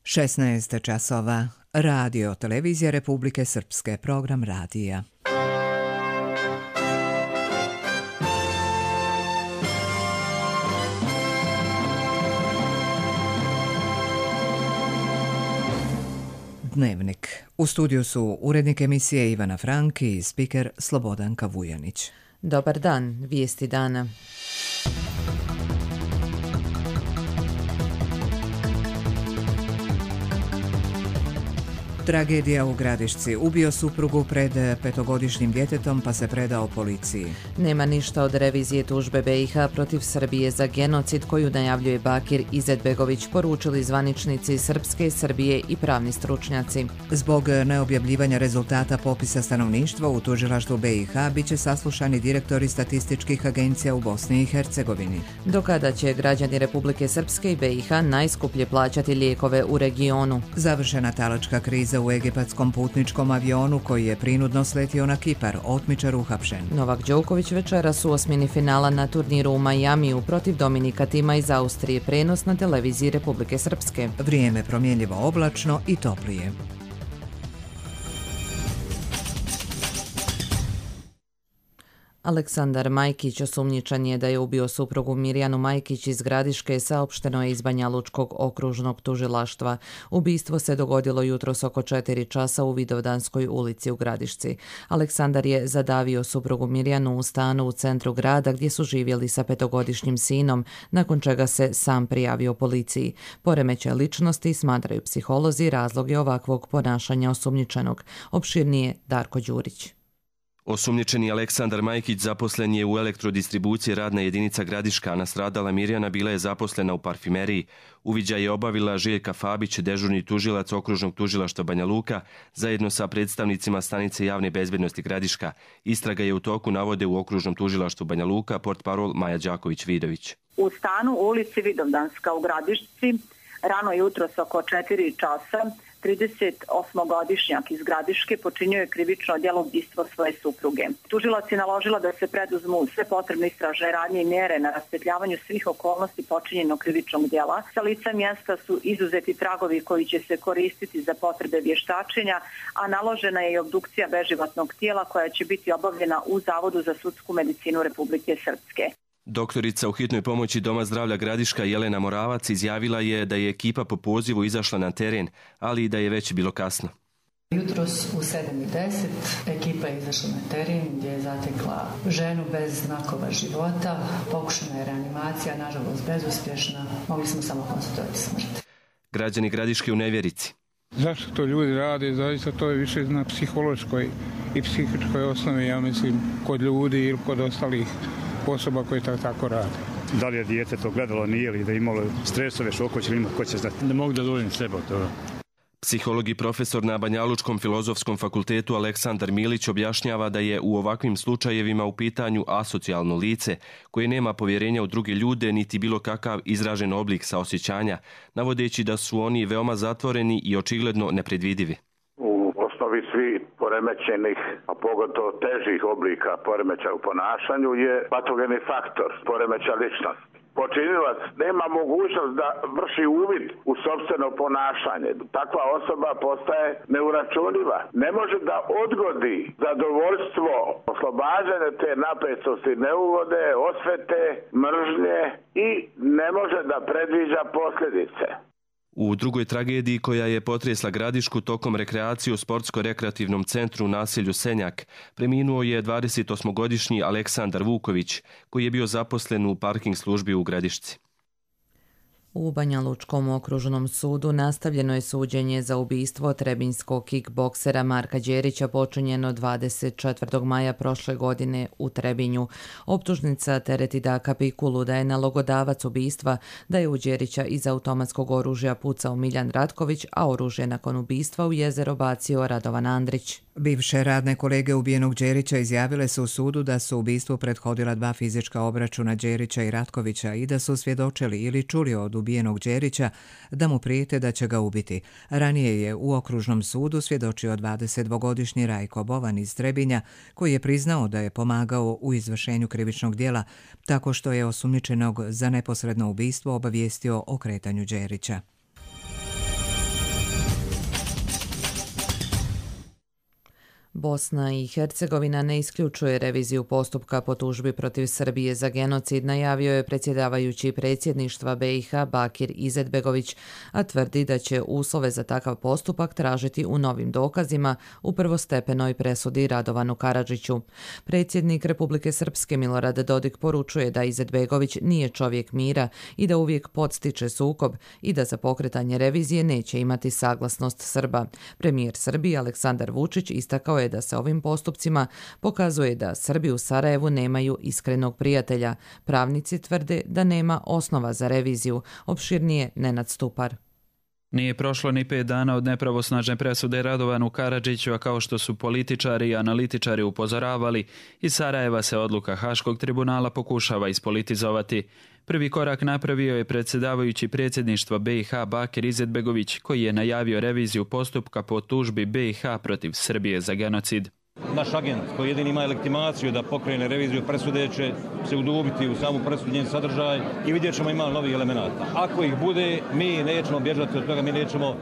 16 časova. Radio Televizija Republike Srpske, program radija. Dnevnik. U studiju su urednik emisije Ivana Frank i spiker Slobodanka Vujanić. Dobar dan, vijesti dana. Tragedija u Gradišci. Ubio suprugu pred 5-godišnjim djetetom pa se predao policiji. Nema ništa od revizije tužbe BiH protiv Srbije za genocid koju najavljuje Bakir Izetbegović, poručili zvaničnici Srpske, Srbije i pravni stručnjaci. Zbog neobjavljivanja rezultata popisa stanovništva u tužilaštvu BiH bit će saslušani direktori statističkih agencija u Bosni i Hercegovini. Do kada će građani Republike Srpske i BiH najskuplje plaćati lijekove u regionu? Završena talačka kriza u egipatskom putničkom avionu koji je prinudno sletio na Kipar, otmičar uhapšen. Novak Đoković večeras u osmini finala na turniru u Majamiju protiv Dominika Tima iz Austrije, prenos na televiziji Republike Srpske. Vrijeme promjenljivo oblačno i toplije. Aleksandar Majkić osumnjičen je da je ubio suprugu Mirjanu Majkić iz Gradiške, saopšteno je iz Banjalučkog okružnog tužilaštva. Ubistvo se dogodilo jutros oko 4 časa u Vidovdanskoj ulici u Gradišci. Aleksandar je zadavio suprugu Mirjanu u stanu u centru grada gdje su živjeli sa 5-godišnjim sinom, nakon čega se sam prijavio policiji. Poremećaj ličnosti smatraju psiholozi razloge ovakvog ponašanja osumnjičenog. Opširnije Darko Đurić. Osumnjičeni Aleksandar Majkić zaposlen je u elektrodistribuciji radna jedinica Gradiška, a nastradala Mirjana bila je zaposlena u parfimeriji. Uviđaj je obavila Željka Fabić, dežurni tužilac okružnog tužilaštva Banja Luka, zajedno sa predstavnicima stanice javne bezbednosti Gradiška. Istraga je u toku, navode u okružnom tužilaštvu Banja Luka portparol Maja Đaković-Vidović. U stanu u ulici Vidovdanska u Gradišci rano jutros oko 4 časa 38-godišnjak iz Gradiške počinio je krivično djelo ubistva svoje supruge. Tužilac je naložila da se preduzmu sve potrebne istražne radnje i mjere na raspetljavanju svih okolnosti počinjenog krivičnog djela. Sa lica mjesta su izuzeti tragovi koji će se koristiti za potrebe vještačenja, a naložena je i obdukcija beživotnog tijela koja će biti obavljena u Zavodu za sudsku medicinu Republike Srpske. Doktorica u hitnoj pomoći Doma zdravlja Gradiška Jelena Moravac izjavila je da je ekipa po pozivu izašla na teren, ali i da je već bilo kasno. Jutros u 7:10 ekipa je izašla na teren gdje je zatekla ženu bez znakova života, pokušana je reanimacija, nažalost bezuspješna, mogli smo samo konstatovati smrt. Građani Gradiške u nevjerici. Zašto to ljudi rade? Zaista to je više na psihološkoj i psihičkoj osnovi, ja mislim, kod ljudi ili kod ostalih osoba koje tako rade. Da li je dijete to gledalo, nije li, da je imalo stresove, šokove, će li imati, ko će znati. Ne mogu da dovoljim sebe od toga. Psiholog i profesor na Banjalučkom filozofskom fakultetu Aleksandar Milić objašnjava da je u ovakvim slučajevima u pitanju asocijalno lice koje nema povjerenja u druge ljude niti bilo kakav izražen oblik saosjećanja, navodeći da su oni veoma zatvoreni i očigledno nepredvidivi. Osnovi svi poremećenih, a pogotovo težih oblika poremećaja u ponašanju je patogeni faktor poremećaja ličnosti. Počinilac nema mogućnost da vrši uvid u sopstveno ponašanje. Takva osoba postaje neuračunljiva. Ne može da odgodi zadovoljstvo, oslobađanje te napetosti, neugode, osvete, mržnje i ne može da predviđa posljedice. U drugoj tragediji koja je potresla Gradišku tokom rekreacije u sportsko-rekreativnom centru u naselju Senjak preminuo je 28-godišnji Aleksandar Vuković koji je bio zaposlen u parking službi u Gradišci. U Banjalučkom okružnom sudu nastavljeno je suđenje za ubistvo trebinjskog kickboksera Marka Đerića počinjeno 24. maja prošle godine u Trebinju. Optužnica tereti Daka Pikulu da je nalogodavac ubistva, da je u Đerića iz automatskog oružja pucao Miljan Ratković, a oružje nakon ubistva u jezero bacio Radovan Andrić. Bivše radne kolege ubijenog Đerića izjavile su u sudu da su ubistvu prethodila 2 fizička obračuna Đerića i Ratkovića i da su svjedočili ili čuli od ubijenog Đerića da mu prijete da će ga ubiti. Ranije je u okružnom sudu svjedočio 22-godišnji Rajko Bovan iz Trebinja, koji je priznao da je pomagao u izvršenju krivičnog djela tako što je osumnjičenog za neposredno ubistvo obavijestio o kretanju Đerića. Bosna i Hercegovina ne isključuje reviziju postupka po tužbi protiv Srbije za genocid, najavio je predsjedavajući predsjedništva BiH Bakir Izetbegović, a tvrdi da će uslove za takav postupak tražiti u novim dokazima u prvostepenoj presudi Radovanu Karadžiću. Predsjednik Republike Srpske Milorad Dodik poručuje da Izetbegović nije čovjek mira i da uvijek podstiče sukob i da za pokretanje revizije neće imati saglasnost Srba. Premijer Srbije Aleksandar Vučić istakao je da se ovim postupcima pokazuje da Srbi u Sarajevu nemaju iskrenog prijatelja. Pravnici tvrde da nema osnova za reviziju. Opširnije Nenad Stupar. Nije prošlo ni 5 dana od nepravosnažne presude Radovanu Karadžiću, a kao što su političari i analitičari upozoravali, iz Sarajeva se odluka Haškog tribunala pokušava ispolitizovati. Prvi korak napravio je predsjedavajući predsjedništva BiH Bakir Izetbegović, koji je najavio reviziju postupka po tužbi BiH protiv Srbije za genocid. Naš agent koji jedini ima legitimaciju da pokrene reviziju presude će se udubiti u samu presudu, njen sadržaj i vidjet ćemo ima novih elemenata. Ako ih bude, mi nećemo bježati od toga, mi nećemo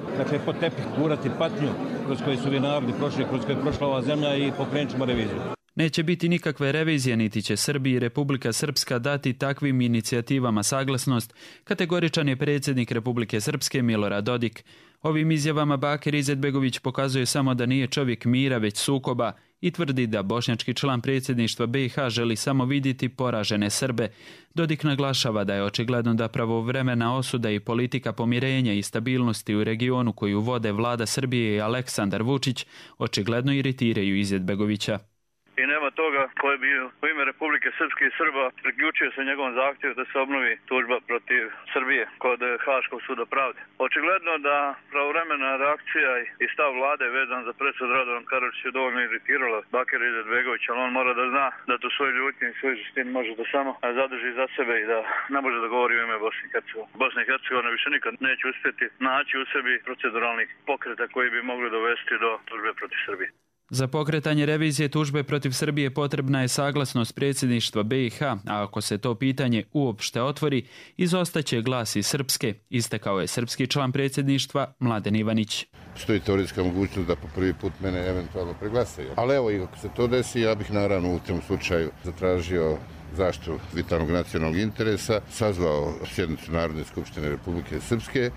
pod tepih gurati patnju kroz koje su ovi narodi prošli, kroz koje je prošla ova zemlja i pokrenut ćemo reviziju. Neće biti nikakve revizije, niti će Srbiji i Republika Srpska dati takvim inicijativama saglasnost, kategoričan je predsjednik Republike Srpske Milorad Dodik. Ovim izjavama Bakir Izetbegović pokazuje samo da nije čovjek mira, već sukoba i tvrdi da bošnjački član predsjedništva BiH želi samo vidjeti poražene Srbe. Dodik naglašava da je očigledno da pravovremena osuda i politika pomirenja i stabilnosti u regionu koju vode vlada Srbije i Aleksandar Vučić očigledno iritiraju Izetbegovića. I nema toga koji bi u ime Republike Srpske i Srba priključio se njegovom zahtjevu da se obnovi tužba protiv Srbije kod Haškog suda pravde. Očigledno da pravovremena reakcija i stav vlade vezan za presud Radovan Karadžić je dovoljno iritirala Bakira Izetbegovića, ali on mora da zna da tu svoju ljutnju i svoju žestinu može da samo zadrži za sebe i da ne može da govori u ime Bosne i Hercegovine. Bosna i Hercegovina više nikad neće uspjeti naći u sebi proceduralnih pokreta koji bi mogli dovesti do tužbe protiv Srbije. Za pokretanje revizije tužbe protiv Srbije potrebna je saglasnost predsjedništva BiH, a ako se to pitanje uopšte otvori, izostaće glas iz Srpske, istakao je srpski član predsjedništva Mladen Ivanić. Stoji teoretska mogućnost da po prvi put mene eventualno preglasaju. Ali evo, i ako se to desi, ja bih naravno u tom slučaju zatražio zaštitu vitalnog nacionalnog interesa, sazvao sjednicu Narodne skupštine Republike Srpske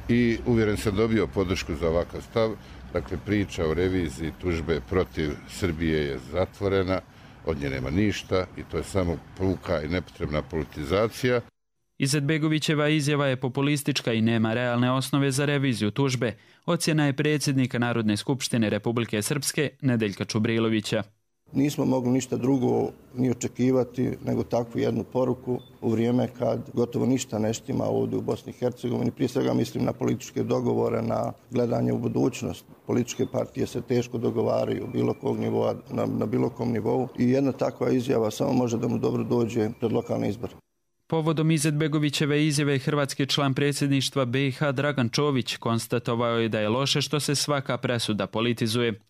i uvjeren sam dobio podršku za ovakav stav. Dakle, priča o reviziji tužbe protiv Srbije je zatvorena, od nje nema ništa i to je samo puka i nepotrebna politizacija. Izetbegovićeva izjava je populistička i nema realne osnove za reviziju tužbe, ocjena je predsjednika Narodne skupštine Republike Srpske Nedeljka Čubrilovića. Nismo mogli ništa drugo ni očekivati nego takvu jednu poruku u vrijeme kad gotovo ništa ne štima ovdje u Bosni i Hercegovini. Prije svega mislim na političke dogovore, na gledanje u budućnost. Političke partije se teško dogovaraju bilo kog nivoa, na bilo kom nivou i jedna takva izjava samo može da mu dobro dođe pred lokalne izbore. Povodom Izetbegovićeve izjave hrvatski član predsjedništva BiH Dragan Čović konstatovao je da je loše što se svaka presuda politizuje.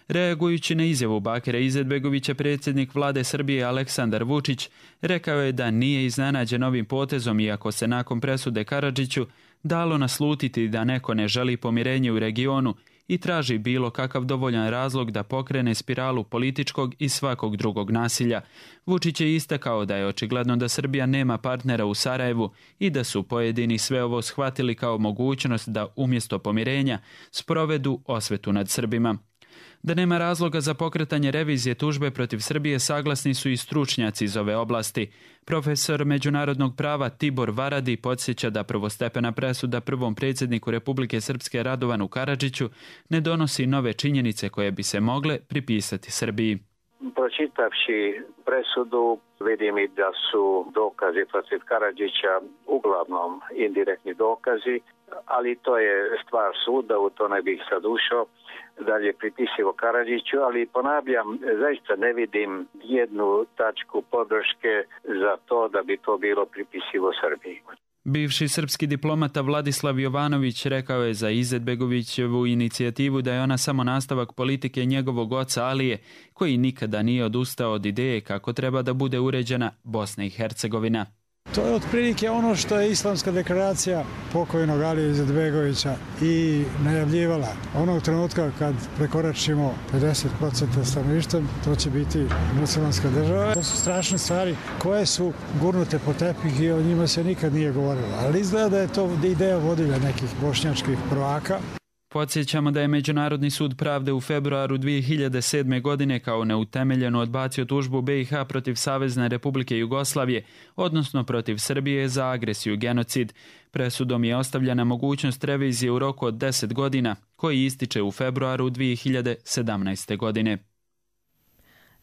Reagujući na izjavu Bakira Izetbegovića, predsjednik vlade Srbije Aleksandar Vučić rekao je da nije iznenađen ovim potezom, iako se nakon presude Karadžiću dalo naslutiti da neko ne želi pomirenje u regionu i traži bilo kakav dovoljan razlog da pokrene spiralu političkog i svakog drugog nasilja. Vučić je istakao da je očigledno da Srbija nema partnera u Sarajevu i da su pojedini sve ovo shvatili kao mogućnost da umjesto pomirenja sprovedu osvetu nad Srbima. Da nema razloga za pokretanje revizije tužbe protiv Srbije saglasni su i stručnjaci iz ove oblasti. Profesor međunarodnog prava Tibor Varadi podsjeća da prvostepena presuda prvom predsjedniku Republike Srpske Radovanu Karadžiću ne donosi nove činjenice koje bi se mogle pripisati Srbiji. Pročitavši presudu vidim i da su dokazi protiv Karadžića uglavnom indirektni dokazi, ali to je stvar suda, u to ne bih sad ušao. Dalje pripisivo Karadžiću, ali ponavljam, zaista ne vidim jednu tačku podrške za to da bi to bilo pripisivo Srbiji. Bivši srpski diplomata Vladislav Jovanović rekao je za Izetbegovićevu inicijativu da je ona samo nastavak politike njegovog oca Alije, koji nikada nije odustao od ideje kako treba da bude uređena Bosna i Hercegovina. To je otprilike ono što je Islamska deklaracija pokojnog Alije Izetbegovića i najavljivala. Onog trenutka kad prekoračimo 50% stanovništva, to će biti muslimanska država. To su strašne stvari koje su gurnute po tepih i o njima se nikad nije govorilo. Ali izgleda da je to ideja vodilja nekih bošnjačkih prvaka. Podsjećamo da je Međunarodni sud pravde u februaru 2007. godine kao neutemeljeno odbacio tužbu BiH protiv Savezne Republike Jugoslavije, odnosno protiv Srbije za agresiju i genocid. Presudom je ostavljena mogućnost revizije u roku od 10 godina, koji ističe u februaru 2017. godine.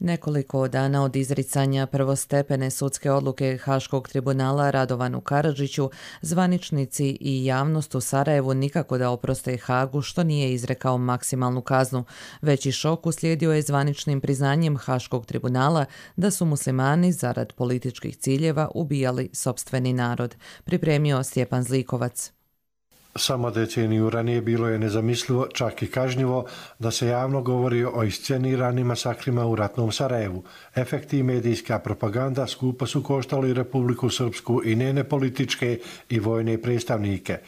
Nekoliko dana od izricanja prvostepene sudske odluke Haškog tribunala Radovanu Karadžiću, zvaničnici i javnost u Sarajevu nikako da oproste Hagu što nije izrekao maksimalnu kaznu. Veći šok uslijedio je zvaničnim priznanjem Haškog tribunala da su muslimani zarad političkih ciljeva ubijali sopstveni narod. Pripremio Stjepan Zlikovac. Samo deceniju ranije bilo je nezamislivo, čak i kažnjivo, da se javno govori o isceniranim masakrima u ratnom Sarajevu. Efekti i medijska propaganda skupo su koštali Republiku Srpsku i njene političke i vojne predstavnike.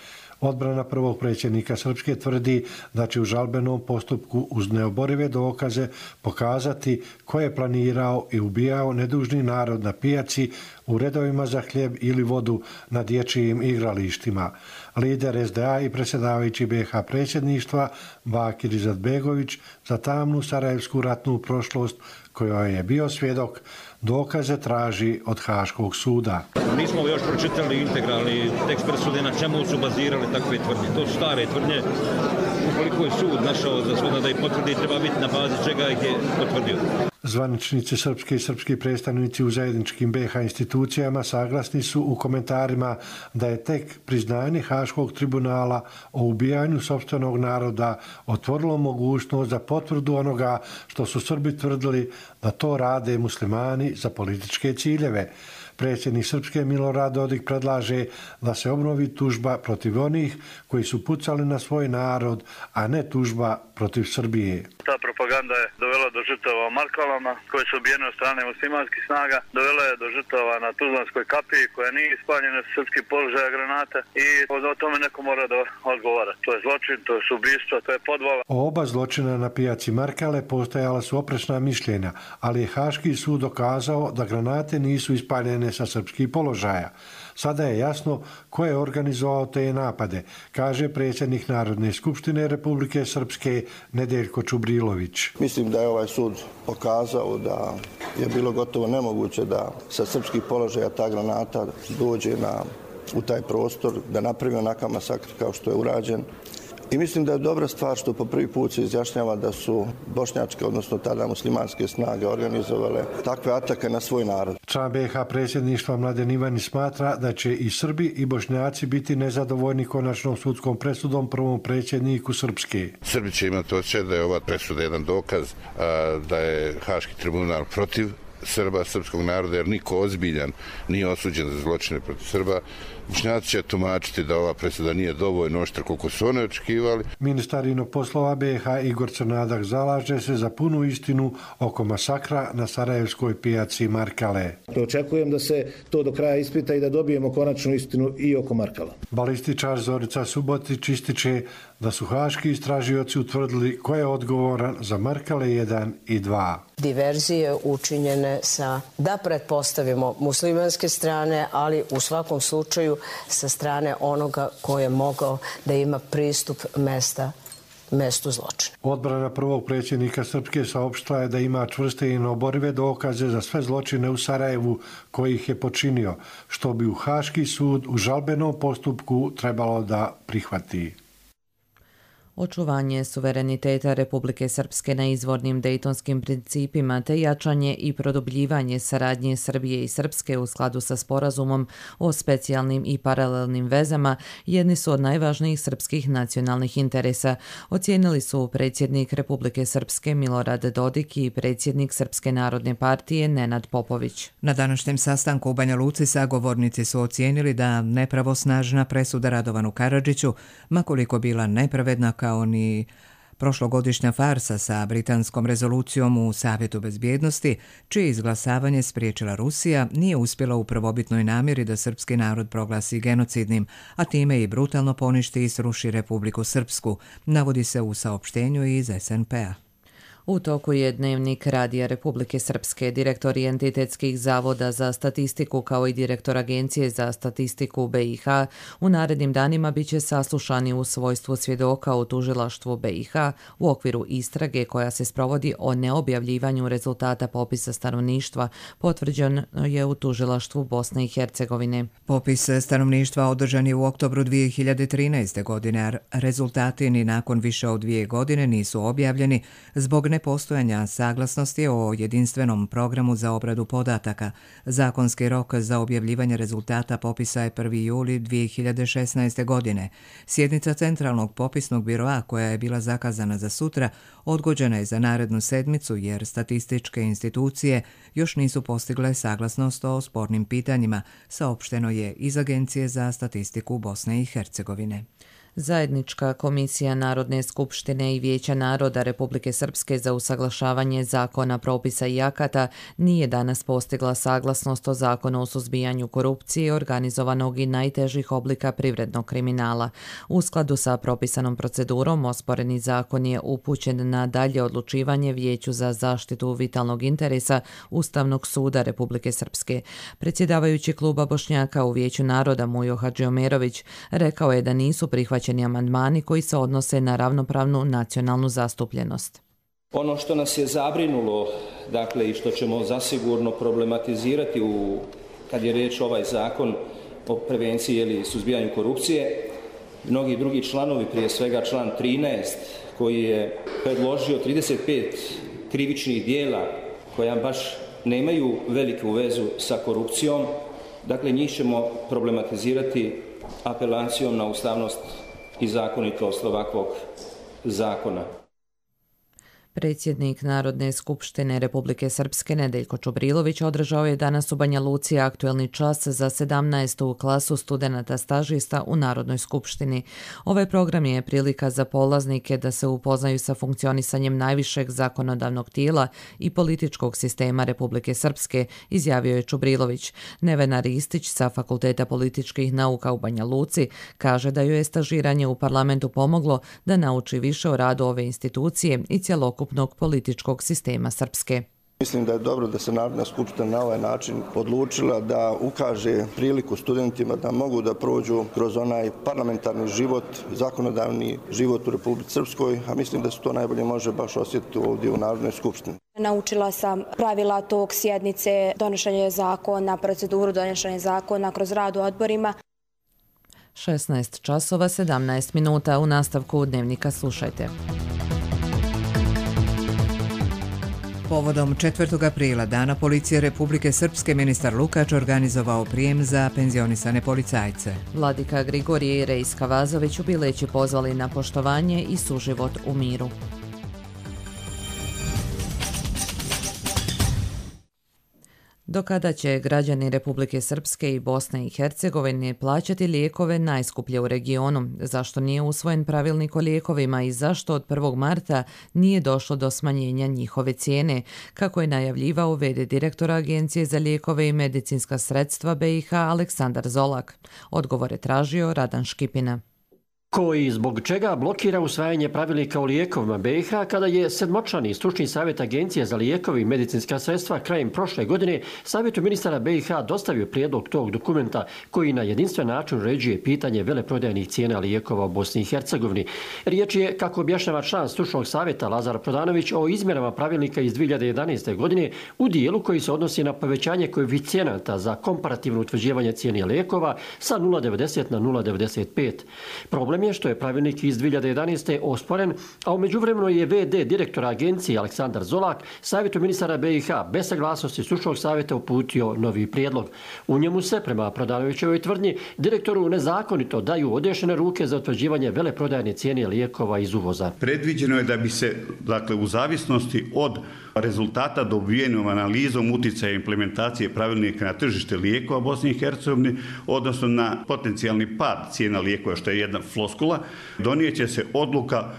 Odbrana prvog predsjednika Srpske tvrdi da će u žalbenom postupku uz neoborive dokaze pokazati ko je planirao i ubijao nedužni narod na pijaci, u redovima za hljeb ili vodu na dječjim igralištima. Lider SDA i predsjedavajući BiH predsjedništva Bakir Izetbegović za tamnu sarajevsku ratnu prošlost kojoj je bio svjedok, dokaze traži od Haškog suda. Nismo još pročitali integralni tekst presude na čemu su bazirali takve tvrdnje. To su stare tvrdnje. Ukoliko je sud našao za shodno da ih potvrdi, treba biti na bazi čega ih je potvrdio. Zvaničnici srpske i srpski predstavnici u zajedničkim BiH institucijama saglasni su u komentarima da je tek priznanje Haškog tribunala o ubijanju sopstvenog naroda otvorilo mogućnost za potvrdu onoga što su Srbi tvrdili da to rade muslimani za političke ciljeve. Predsjednik Srpske Milorad Dodik predlaže da se obnovi tužba protiv onih koji su pucali na svoj narod, a ne tužba protiv Srbije. Ta propaganda je dovela do žrtava u Markalama, koje su ubijene od strane muslimanskih snaga, dovela je do žrtava na Tuzlanskoj kapiji, koja nije ispaljena sa srpskih položaja granate i o tome neko mora da odgovara. To je zločin, to je ubistvo, to je podvala. O oba zločina na pijaci Markale postojala su oprečna mišljenja, ali je Haški sud dokazao da granate nisu ispaljene sa srpskih položaja. Sada je jasno ko je organizovao te napade, kaže predsjednik Narodne skupštine Republike Srpske Nedeljko Čubrilović. Mislim da je ovaj sud pokazao da je bilo gotovo nemoguće da sa srpskih položaja ta granata dođe u taj prostor, da napravi onakav masakr kao što je urađen. I mislim da je dobra stvar što po prvi put se izjašnjava da su bošnjačke, odnosno tada muslimanske snage organizovale takve atake na svoj narod. Član BiH predsjedništva Mladen Ivanić smatra da će i Srbi i Bošnjaci biti nezadovoljni konačnom sudskom presudom prvom predsjedniku Srpske. Srbi će imati osjećaj da je ova presuda jedan dokaz da je Haški tribunal protiv Srba, srpskog naroda, jer niko ozbiljan nije osuđen za zločine protiv Srba. Bošnjaci će tumačiti da ova presuda nije dovoljno oštra koliko su one očekivali. Ministar inoga poslova BiH Igor Crnadak zalaže se za punu istinu oko masakra na sarajevskoj pijaci Markale. Očekujem da se to do kraja ispita i da dobijemo konačnu istinu i oko Markala. Balističar Zorica Subotić ističe da su haški istražioci utvrdili ko je odgovoran za Markale 1 i 2. Diverzije učinjene sa, da pretpostavimo, muslimanske strane, ali u svakom slučaju sa strane onoga ko je mogao da ima pristup mestu zločina. Odbrana prvog predsjednika Srpske saopštila je da ima čvrste i neoborive dokaze za sve zločine u Sarajevu koji ih je počinio, što bi u Haški sud u žalbenom postupku trebalo da prihvati. Očuvanje suvereniteta Republike Srpske na izvornim dejtonskim principima te jačanje i produbljivanje saradnje Srbije i Srpske u skladu sa sporazumom o specijalnim i paralelnim vezama jedni su od najvažnijih srpskih nacionalnih interesa, ocijenili su predsjednik Republike Srpske Milorad Dodik i predsjednik Srpske narodne partije Nenad Popović. Na današnjem sastanku u Banja Luci sagovornici su ocijenili da nepravosnažna presuda Radovanu Karadžiću, makoliko bila nepravedna kao ni Prošlogodišnja farsa sa britanskom rezolucijom u Savjetu bezbjednosti, čije izglasavanje spriječila Rusija, nije uspjela u prvobitnoj namjeri da srpski narod proglasi genocidnim, a time i brutalno poništi i sruši Republiku Srpsku, navodi se u saopštenju iz SNP-a. U toku je Dnevnik Radija Republike Srpske, direktor entitetskih zavoda za statistiku kao i direktor Agencije za statistiku BiH u narednim danima biće saslušani u svojstvu svjedoka u tužilaštvu BiH u okviru istrage koja se sprovodi o neobjavljivanju rezultata popisa stanovništva, potvrđeno je u tužilaštvu Bosne i Hercegovine. Popis stanovništva održan je u oktobru 2013. godine, a rezultati ni nakon više od 2 godine nisu objavljeni zbog nepostojanja saglasnosti o jedinstvenom programu za obradu podataka. Zakonski rok za objavljivanje rezultata popisa je 1. juli 2016. godine. Sjednica Centralnog popisnog biroa, koja je bila zakazana za sutra, odgođena je za narednu sedmicu jer statističke institucije još nisu postigle saglasnost o spornim pitanjima, saopšteno je iz Agencije za statistiku Bosne i Hercegovine. Zajednička komisija Narodne skupštine i Vijeća naroda Republike Srpske za usaglašavanje zakona, propisa i akata nije danas postigla saglasnost o zakonu o suzbijanju korupcije, organizovanog i najtežih oblika privrednog kriminala. U skladu sa propisanom procedurom, osporeni zakon je upućen na dalje odlučivanje Vijeću za zaštitu vitalnog interesa Ustavnog suda Republike Srpske. Predsjedavajući kluba Bošnjaka u Vijeću naroda Mujo Hadžiomerović rekao je da nisu prihvaćeni amandmani koji se odnose na ravnopravnu nacionalnu zastupljenost. Ono što nas je zabrinulo, dakle, i što ćemo zasigurno problematizirati kad je riječ ovaj zakon o prevenciji ili suzbijanju korupcije, mnogi drugi članovi, prije svega član 13, koji je predložio 35 krivičnih dijela koja baš nemaju veliku vezu sa korupcijom, dakle, njih ćemo problematizirati apelacijom na ustavnost i zakonitost ovakvog zakona. Predsjednik Narodne skupštine Republike Srpske Nedeljko Čubrilović održao je danas u Banja Luci aktuelni čas za 17. klasu studenata stažista u Narodnoj skupštini. Ovaj program je prilika za polaznike da se upoznaju sa funkcionisanjem najvišeg zakonodavnog tijela i političkog sistema Republike Srpske, izjavio je Čubrilović. Nevena Ristić sa Fakulteta političkih nauka u Banja Luci kaže da joj je stažiranje u parlamentu pomoglo da nauči više o radu ove institucije i cjelokupnog političkog sistema Srpske. Mislim da je dobro da se Narodna skupština na ovaj način odlučila da ukaže priliku studentima da mogu da prođu kroz onaj parlamentarni život, zakonodavni život u Republici Srpskoj, a mislim da se to najbolje može baš osjetiti ovdje u Narodnoj skupštini. Naučila sam pravila tog sjednice, donošenje zakona, proceduru donošenja zakona kroz rad u odborima. 16 časova 17 minuta u nastavku Dnevnika slušajte. Povodom 4. aprila, Dana policije Republike Srpske, ministar Lukač organizovao prijem za penzionisane policajce. Vladika Grigorije i Rejska Vazović u Bileći pozvali na poštovanje i suživot u miru. Do kada će građani Republike Srpske i Bosne i Hercegovine plaćati lijekove najskuplje u regionu? Zašto nije usvojen pravilnik o lijekovima i zašto od 1. marta nije došlo do smanjenja njihove cijene? Kako je najavljivao v.d. direktora Agencije za lijekove i medicinska sredstva BiH Aleksandar Zolak. Odgovor je tražio Radan Škipina. Ko i zbog čega blokira usvajanje pravilnika o lijekovima BiH kada je sedmočlani stručni savjet Agencije za lijekovi i medicinska sredstva krajem prošle godine Savjetu ministara BiH dostavio prijedlog tog dokumenta koji na jedinstven način uređuje pitanje veleprodajnih cijena lijekova u Bosni i Hercegovini. Riječ je, kako objašnjava član stručnog savjeta Lazar Prodanović, o izmjenama pravilnika iz 2011. godine u dijelu koji se odnosi na povećanje koeficijenata za komparativno utvrđivanje cijene lijekova sa 0,90 na 0,95. Problem je što je pravilnik iz 2011. osporen, a u međuvremenu je v.d. direktora agencije Aleksandar Zolak Savjetu ministara BiH bez saglasnosti stručnog savjeta uputio novi prijedlog. U njemu se, prema Prodanovićevoj tvrdnji, direktoru nezakonito daju odešene ruke za utvrđivanje veleprodajne cijene lijekova iz uvoza. Predviđeno je da bi se, dakle, u zavisnosti od rezultata dobijenom analizom utjecaja implementacije pravilnika na tržište lijekova Bosne i Hercegovine, odnosno na potencijalni pad cijena lijekova, što je jedna floskula floskula, donijeće se odluka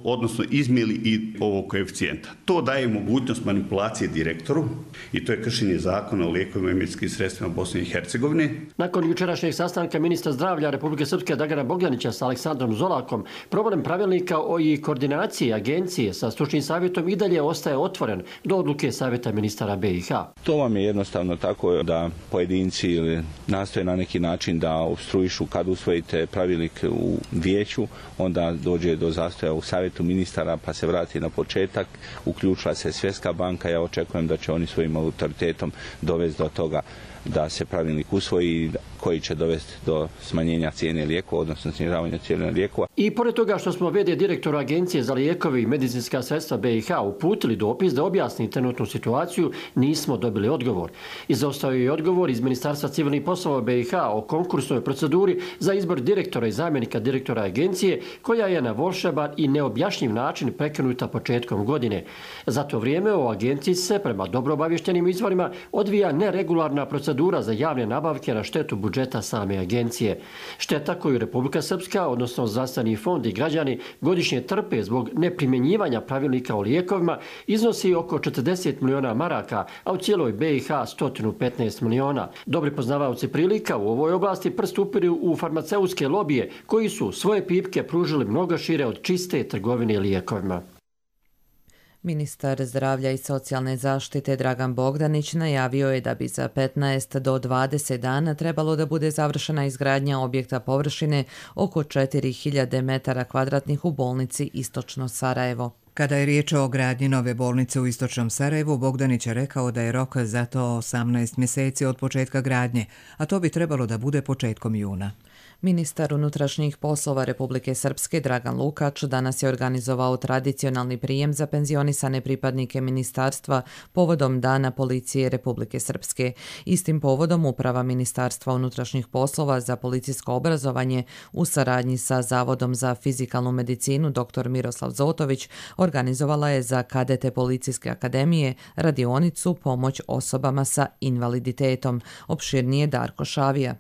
odnosno izmjeni i ovog koeficijenta. To daje mogućnost manipulacije direktoru i to je kršenje zakona o lijekovima i medicinskim sredstvima Bosne i Hercegovine. Nakon jučerašnjeg sastanka ministra zdravlja Republike Srpske Dragana Bogdanića sa Aleksandrom Zolakom, problem pravilnika i koordinacije agencije sa stručnim savjetom i dalje ostaje otvoren do odluke savjeta ministara BiH. To vam je jednostavno tako da pojedinci nastoje na neki način da opstruišu kad usvojite pravilnik u vijeću, onda dođe do zastoja u savjetu ministara pa se vrati na početak, uključila se Svjetska banka, ja očekujem da će oni svojim autoritetom dovesti do toga da se pravilnik usvoji koji će dovesti do smanjenja cijene lijekova, odnosno snižavanja cijene lijekova. I pored toga što smo v.d. direktora Agencije za lijekovi i medicinska sredstva BiH uputili dopis da objasni trenutnu situaciju, nismo dobili odgovor. Izostao je i odgovor iz Ministarstva civilnih poslova BiH o konkursnoj proceduri za izbor direktora i zamjenika direktora agencije, koja je na volšeban i neobjašnjiv način prekinuta početkom godine. Za to vrijeme u agenciji se, prema dobro obavještenim izvorima, odvija neregularna procedura za javne nabavke na štetu budžeta same agencije. Šteta koju Republika Srpska, odnosno zdravstveni fond i građani godišnje trpe zbog neprimjenjivanja pravilnika o lijekovima, iznosi oko 40 miliona maraka, a u cijeloj BiH 115 miliona. Dobri poznavaoci prilika u ovoj oblasti prst upiru u farmaceutske lobije, koji su svoje pipke pružili mnogo šire od čiste trgovine lijekovima. Ministar zdravlja i socijalne zaštite Dragan Bogdanić najavio je da bi za 15 do 20 dana trebalo da bude završena izgradnja objekta površine oko 4000 metara kvadratnih u bolnici Istočno Sarajevo. Kada je riječ o gradnji nove bolnice u Istočnom Sarajevu, Bogdanić je rekao da je rok za to 18 mjeseci od početka gradnje, a to bi trebalo da bude početkom juna. Ministar unutrašnjih poslova Republike Srpske Dragan Lukač danas je organizovao tradicionalni prijem za penzionisane pripadnike ministarstva povodom Dana policije Republike Srpske. Istim povodom Uprava Ministarstva unutrašnjih poslova za policijsko obrazovanje u saradnji sa Zavodom za fizikalnu medicinu dr. Miroslav Zotović organizovala je za kadete Policijske akademije radionicu Pomoć osobama sa invaliditetom. Opširnije Darko Šavija.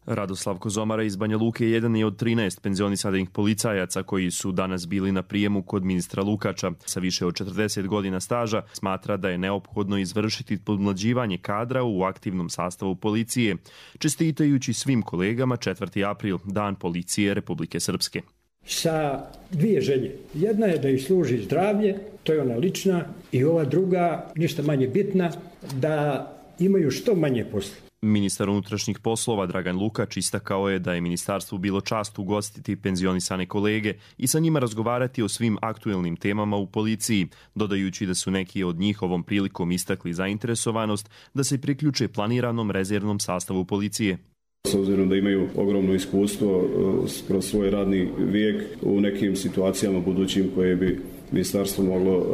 Radoslav Kozomara iz Banja Luke jedan je od 13 penzionisanih policajaca koji su danas bili na prijemu kod ministra Lukača. Sa više od 40 godina staža smatra da je neophodno izvršiti podmlađivanje kadra u aktivnom sastavu policije, čestitajući svim kolegama 4. april, Dan policije Republike Srpske. Sa dvije želje. Jedna je da ih služi zdravlje, to je ona lična, i ova druga, ništa manje bitna, da imaju što manje posla. Ministar unutrašnjih poslova Dragan Lukač istakao je da je ministarstvu bilo čast ugostiti penzionisane kolege i sa njima razgovarati o svim aktuelnim temama u policiji, dodajući da su neki od njih ovom prilikom istakli zainteresovanost da se priključe planiranom rezervnom sastavu policije. S obzirom da imaju ogromno iskustvo kroz svoj radni vijek u nekim situacijama budućim koje bi ministarstvo moglo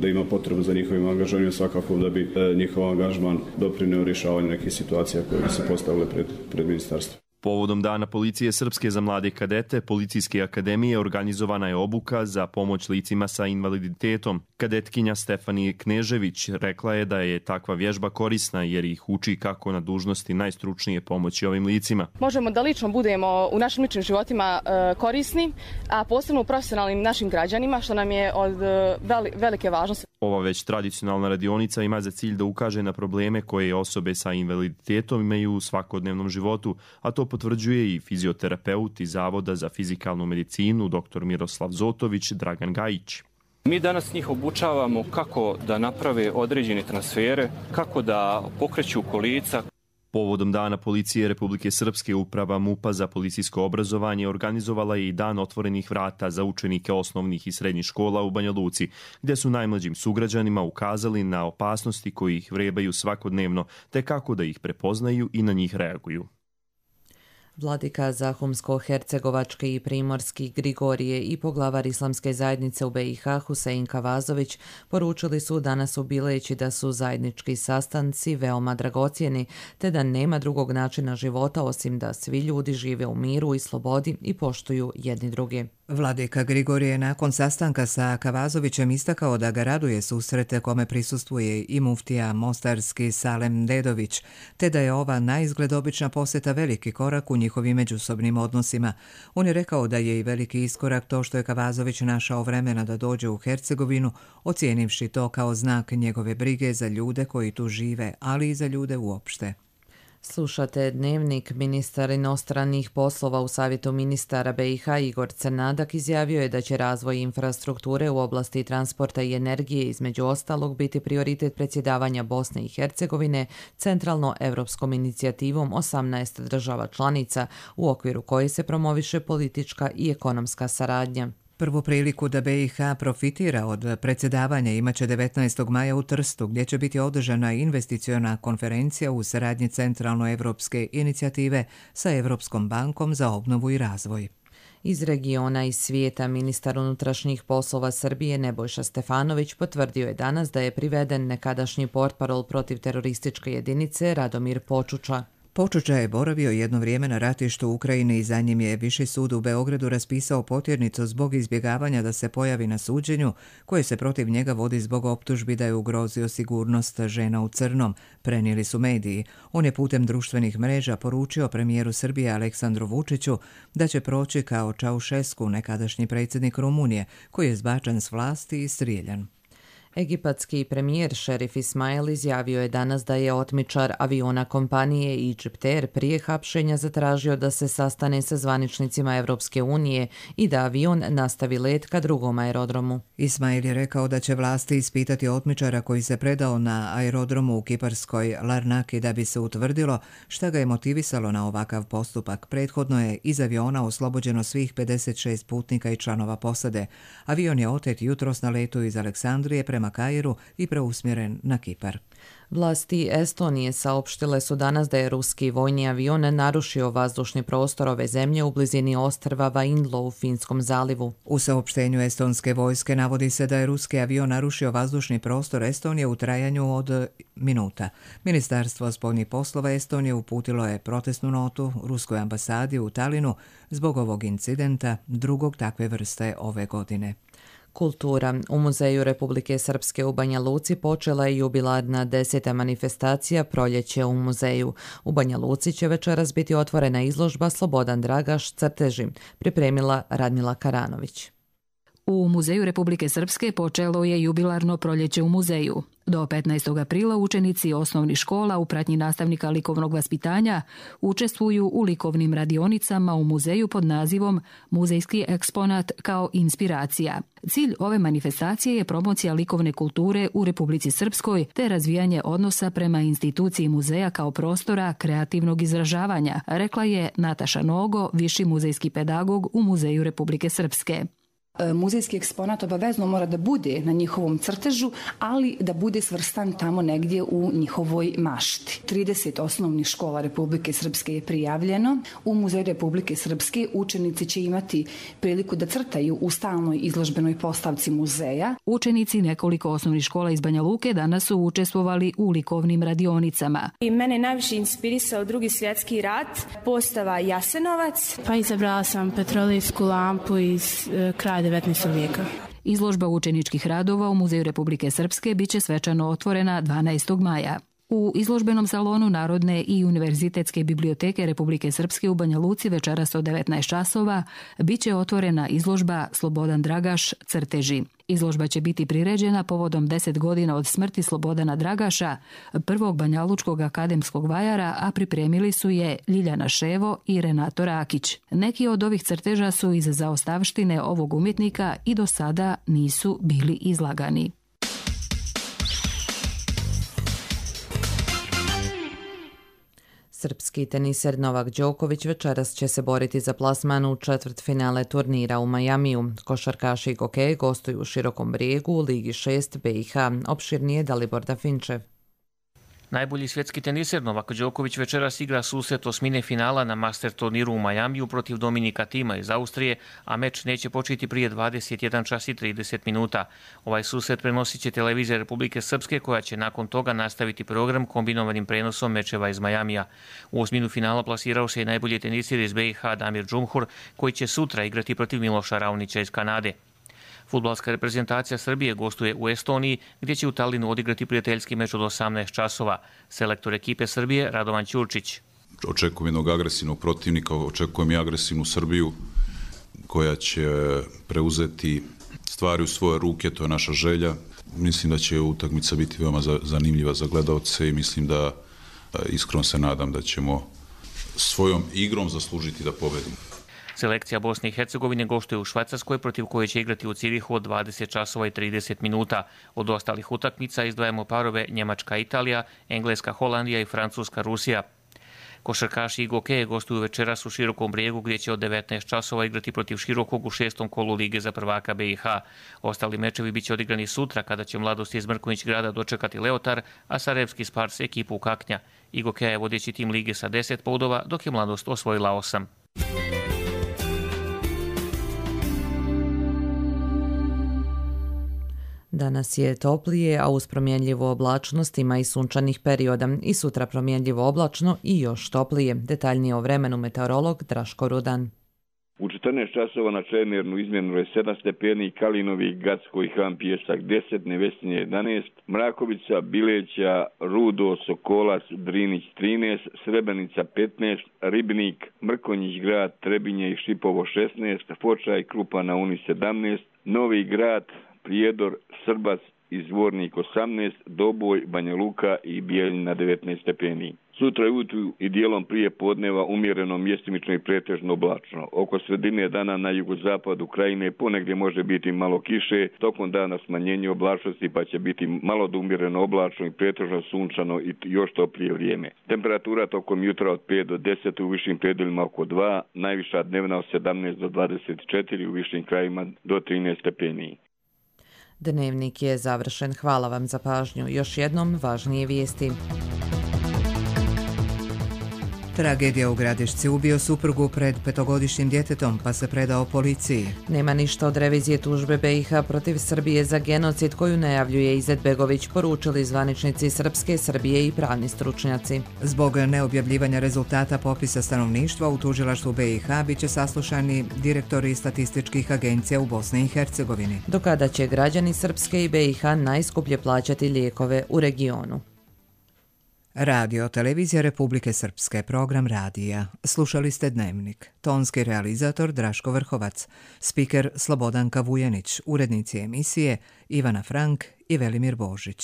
da ima potrebu za njihovim angažovanjem, svakako da bi njihov angažman doprineo rješavanju nekih situacija koje bi se postavile pred ministarstvo. Povodom Dana policije Srpske za mlade kadete Policijske akademije organizovana je obuka za pomoć licima sa invaliditetom. Kadetkinja Stefanije Knežević rekla je da je takva vježba korisna jer ih uči kako na dužnosti najstručnije pomoći ovim licima. Možemo da lično budemo u našim ličnim životima korisni, a posebno u profesionalnim našim građanima, što nam je od velike važnosti. Ova već tradicionalna radionica ima za cilj da ukaže na probleme koje osobe sa invaliditetom imaju u svakodnevnom životu, a to potvrđuje i fizioterapeut iz Zavoda za fizikalnu medicinu dr. Miroslav Zotović Dragan Gajić. Mi danas njih obučavamo kako da naprave određene transfere, kako da pokreću kolica. Povodom Dana policije Republike Srpske Uprava MUP-a za policijsko obrazovanje organizovala je i Dan otvorenih vrata za učenike osnovnih i srednjih škola u Banja Luci, gdje su najmlađim sugrađanima ukazali na opasnosti koji ih vrebaju svakodnevno, te kako da ih prepoznaju i na njih reaguju. Vladika Zahumsko-Hercegovački i Primorski Grigorije i poglavar Islamske zajednice u BiH Husein Kavazović poručili su danas u Bileći da su zajednički sastanci veoma dragocjeni, te da nema drugog načina života osim da svi ljudi žive u miru i slobodi i poštuju jedni druge. Vladika Grigorije je nakon sastanka sa Kavazovićem istakao da ga raduje susrete kome prisustvuje i muftija mostarski Salem Dedović, te da je ova naizgled obična posjeta veliki korak u njihovim međusobnim odnosima. On je rekao da je i veliki iskorak to što je Kavazović našao vremena da dođe u Hercegovinu, ocijenivši to kao znak njegove brige za ljude koji tu žive, ali i za ljude uopšte. Slušate Dnevnik. Ministar inostranih poslova u Savjetu ministara BiH Igor Crnadak izjavio je da će razvoj infrastrukture u oblasti transporta i energije između ostalog biti prioritet predsjedavanja Bosne i Hercegovine centralno-evropskom inicijativom 18 država članica u okviru koje se promoviše politička i ekonomska saradnja. Prvu priliku da BiH profitira od predsjedavanja imaće 19. maja u Trstu, gdje će biti održana investiciona konferencija u saradnji centralno-evropske inicijative sa Evropskom bankom za obnovu i razvoj. Iz regiona i svijeta ministar unutrašnjih poslova Srbije Nebojša Stefanović potvrdio je danas da je priveden nekadašnji portparol protiv terorističke jedinice Radomir Počuča. Počuča je boravio jedno vrijeme na ratištu u Ukrajini i za njim je Viši sud u Beogradu raspisao potjernicu zbog izbjegavanja da se pojavi na suđenju koje se protiv njega vodi zbog optužbi da je ugrozio sigurnost žena u crnom, prenijeli su mediji. On je putem društvenih mreža poručio premijeru Srbije Aleksandru Vučiću da će proći kao Čaušesku, nekadašnji predsjednik Rumunije, koji je zbačen s vlasti i strijeljan. Egipatski premijer Šerif Ismail izjavio je danas da je otmičar aviona kompanije Egypt Air prije hapšenja zatražio da se sastane sa zvaničnicima Evropske unije i da avion nastavi let ka drugom aerodromu. Ismail je rekao da će vlasti ispitati otmičara koji se predao na aerodromu u kiparskoj Larnaki da bi se utvrdilo šta ga je motivisalo na ovakav postupak. Prethodno je iz aviona oslobođeno svih 56 putnika i članova posade. Avion je otet jutros na letu iz Aleksandrije prema Kairu i preusmjeren na Kipar. Vlasti Estonije saopštile su danas da je ruski vojni avion narušio vazdušni prostor ove zemlje u blizini ostrva Vainlo u Finskom zalivu. U saopštenju estonske vojske navodi se da je ruski avion narušio vazdušni prostor Estonije u trajanju od minuta. Ministarstvo spoljnih poslova Estonije uputilo je protestnu notu ruskoj ambasadi u Talinu zbog ovog incidenta, drugog takve vrste ove godine. Kultura. U Muzeju Republike Srpske u Banja Luci počela je jubilarna 10. manifestacija Proljeće u muzeju. U Banja Luci će večeras biti otvorena izložba Slobodan Dragaš crteži, pripremila Radmila Karanović. U Muzeju Republike Srpske počelo je jubilarno Proljeće u muzeju. Do 15. aprila učenici osnovnih škola u pratnji nastavnika likovnog vaspitanja učestvuju u likovnim radionicama u muzeju pod nazivom Muzejski eksponat kao inspiracija. Cilj ove manifestacije je promocija likovne kulture u Republici Srpskoj te razvijanje odnosa prema instituciji muzeja kao prostora kreativnog izražavanja, rekla je Nataša Nogo, viši muzejski pedagog u Muzeju Republike Srpske. Muzejski eksponat obavezno mora da bude na njihovom crtežu, ali da bude svrstan tamo negdje u njihovoj mašti. 30 osnovnih škola Republike Srpske je prijavljeno. U Muzeju Republike Srpske učenici će imati priliku da crtaju u stalnoj izložbenoj postavci muzeja. Učenici nekoliko osnovnih škola iz Banja Luke danas su učestvovali u likovnim radionicama. I mene najviše inspirisao Drugi svjetski rat, postava Jasenovac. Pa izabrala sam petrolijsku lampu iz kraja 19. vijeka. Izložba učeničkih radova u Muzeju Republike Srpske biće svečano otvorena 12. maja. U izložbenom salonu Narodne i univerzitetske biblioteke Republike Srpske u Banja Luci večeras od 19 časova biće otvorena izložba Slobodan Dragaš crteži. Izložba će biti priređena povodom 10 godina od smrti Slobodana Dragaša, prvog banjalučkog akademskog vajara, a pripremili su je Ljiljana Ševo i Renato Rakić. Neki od ovih crteža su iz zaostavštine ovog umjetnika i do sada nisu bili izlagani. Srpski teniser Novak Đoković večeras će se boriti za plasman u četvrtfinale turnira u Majamiju. Košarkaši i hokej gostuju u Širokom Brijegu u Ligi 6 BiH. Opširnije Dalibor Dafinčev. Najbolji svjetski teniser Novak Đoković večeras igra susret osmine finala na Master turniru u Majamiju protiv Dominika Tima iz Austrije, a meč neće početi prije 21 čas i 30 minuta. Ovaj susret prenosit će televizija Republike Srpske, koja će nakon toga nastaviti program kombinovanim prenosom mečeva iz Majamija. U osminu finala plasirao se i najbolji teniser iz BiH Damir Džumhur, koji će sutra igrati protiv Miloša Raonića iz Kanade. Fudbalska reprezentacija Srbije gostuje u Estoniji, gdje će u Talinu odigrati prijateljski meč od 18 časova. Selektor ekipe Srbije Radovan Ćurčić. Očekujem jednog agresivnog protivnika, očekujem i agresivnu Srbiju koja će preuzeti stvari u svoje ruke, to je naša želja. Mislim da će utakmica biti veoma zanimljiva za gledaoce i mislim da iskreno se nadam da ćemo svojom igrom zaslužiti da pobedimo. Selekcija Bosne i Hercegovine gostuje u Švajcarskoj, protiv koje će igrati u Cirihu od 20 časova i 30 minuta. Od ostalih utakmica izdvajamo parove Njemačka-Italija, Engleska-Holandija i Francuska-Rusija. Košarkaši Igokeje gostuju večeras u Širokom Brijegu, gdje će od 19 časova igrati protiv Širokog u 6. kolu Lige za prvaka BiH. Ostali mečevi biće odigrani sutra, kada će Mladost iz Mrkonjić Grada dočekati Leotar, a Sarajevski Spars ekipu Kaknja. Igokeja je vodeći tim lige sa 10 bodova, dok je Mladost osvojila 8. Danas je toplije, a uz promjenljivu oblačnost ima i sunčanih perioda. I sutra promjenljivo oblačno i još toplije. Detaljnije o vremenu meteorolog Draško Rudan. U 14 časova na Čemernu izmjereno je 7 stepeni, Kalinovi, Gacko i Han Pijesak 10, Nevesinje 11, Mrakovica, Bileća, Rudo, Sokolac, Drinić 13, Srebrenica 15, Ribnik, Mrkonjić Grad, Trebinje i Šipovo 16, Foča i Krupa na Uni 17, Novi Grad, Prijedor, Srbac i Zvornik 18, Doboj, Banja Luka i Bijeljina 19 stepeni. Sutra ujutru i dijelom prije podneva umjereno, mjestimično i pretežno oblačno. Oko sredine dana na jugozapadu Krajine ponegdje može biti malo kiše, tokom dana smanjenje oblačnosti pa će biti malo do umjereno oblačno i pretežno sunčano i još toplije vrijeme. Temperatura tokom jutra od 5 do 10, u višim predjelima oko 2, najviša dnevna od 17 do 24, u višim krajima do 13 stepeni. Dnevnik je završen. Hvala vam za pažnju. Još jednom važnije vijesti. Tragedija u Gradišci, ubio suprugu pred 5-godišnjim djetetom pa se predao policiji. Nema ništa od revizije tužbe BiH protiv Srbije za genocid koju najavljuje Izetbegović, poručili zvaničnici Srpske, Srbije i pravni stručnjaci. Zbog neobjavljivanja rezultata popisa stanovništva u tužilaštvu BiH biće saslušani direktori statističkih agencija u Bosni i Hercegovini. Do kada će građani Srpske i BiH najskuplje plaćati lijekove u regionu? Radio Televizija Republike Srpske, program radija. Slušali ste Dnevnik. Tonski realizator Draško Vrhovac, spiker Slobodanka Vujanić, urednici emisije Ivana Frank i Velimir Božić.